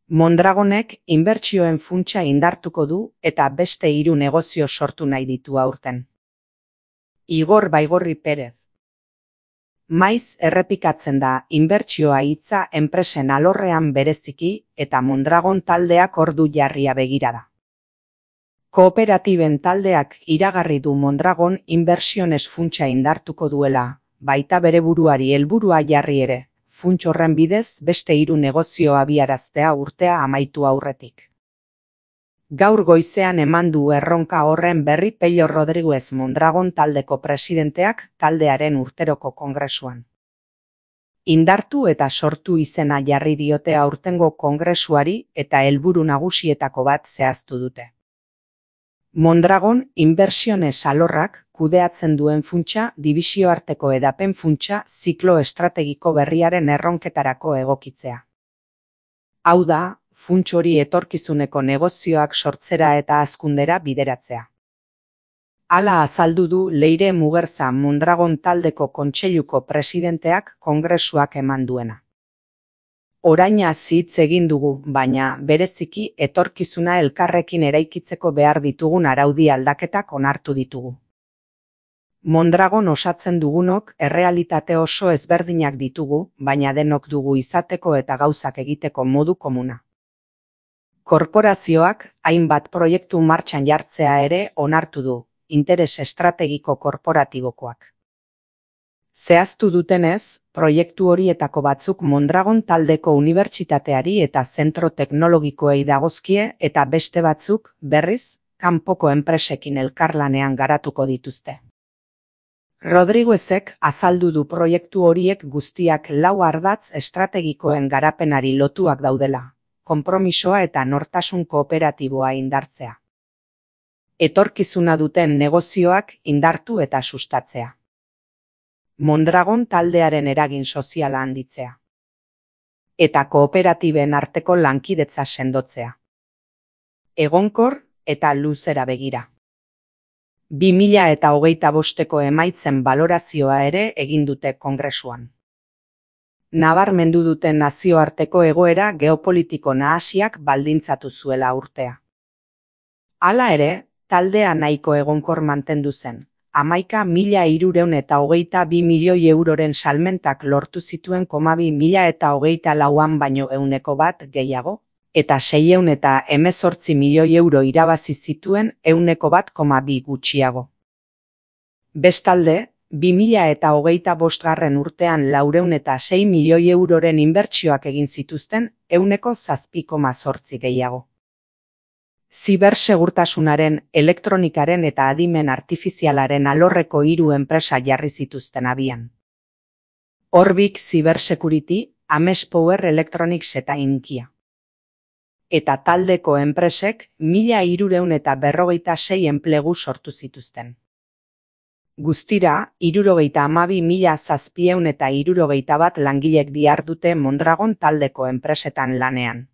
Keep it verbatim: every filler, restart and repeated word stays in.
Mondragonek inbertsioen funtsa indartuko du eta beste hiru negozio sortu nahi ditu aurten. Igor Baigorri Perez. Maiz errepikatzen da inbertsioa hitza enpresen alorrean bereziki eta Mondragon taldeak ordu jarria begira da. Kooperatiben taldeak iragarri du Mondragon inbertsiones funtsa indartuko duela, baita bere buruari helburua jarri ere, funts horren bidez beste hiru negozio abiaraztea urtea amaitu aurretik. Gaur goizean eman du erronka horren berri Pello Rodriguez Mondragon taldeko presidenteak taldearen urteroko kongresuan. Indartu eta sortu izena jarri diote aurtengo kongresuari eta helburu nagusietako bat zehaztu dute. Mondragon inbertsiones alorrak kudeatzen duen funtsa dibisioarteko edapen funtsa ziklo estrategiko berriaren erronketarako egokitzea. Hau da, funts hori etorkizuneko negozioak sortzera eta hazkundera bideratzea. Hala azaldu du Leire Mugerza Mondragon taldeko kontseiluko presidenteak kongresuak eman duena. Oraina hitz egin dugu, baina bereziki etorkizuna elkarrekin eraikitzeko behar ditugun araudi aldaketak onartu ditugu. Mondragon osatzen dugunok errealitate oso ezberdinak ditugu, baina denok dugu izateko eta gauzak egiteko modu komuna. Korporazioak hainbat proiektu martxan jartzea ere onartu du, interes estrategiko korporatibokoak. Zehaztu dutenez, proiektu horietako batzuk Mondragon taldeko unibertsitateari eta zentro teknologikoei dagozkie eta beste batzuk, berriz, kanpoko enpresekin elkarlanean garatuko dituzte. Rodriguezek azaldu du proiektu horiek guztiak lau ardatz estrategikoen garapenari lotuak daudela, konpromisoa eta nortasun kooperatiboa indartzea. Etorkizuna duten negozioak indartu eta sustatzea. Mondragon taldearen eragin soziala handitzea. Eta kooperatiben arteko lankidetza sendotzea. Egonkor eta luzera begira. bi mila hogeita bosteko emaitzen balorazioa ere egin dute kongresuan. Nabarmendu duten nazioarteko egoera geopolitiko nahasiak baldintzatu zuela urtea. Hala ere, taldea nahiko egonkor mantendu zen. Hamaika mila hirurehun eta hogeita bi milioi euroren salmentak lortu zituen koma bi mila eta hogeita lauan baino ehuneko bat gehiago, eta seiehun eta hemezortzi milioi euro irabazi zituen ehuneko bat koma bi gutxiago. Bestalde, bi mila eta hogeita bostgarren urtean laurehun eta sei milioi euroren inbertsioak egin zituzten ehuneko zazpi koma zortzi gehiago. Zibersegurtasunaren, elektronikaren eta adimen artifizialaren alorreko hiru enpresa jarri zituzten abian. Orbik Cybersecurity, Ames Power Electronics eta Inkia. Eta taldeko enpresek mila hirurehun eta berrogeita sei enplegu sortu zituzten. Guztira, hirurogeita hamabi mila zazpiehun eta hirurogeita bat langilek dihardute Mondragon taldeko enpresetan lanean.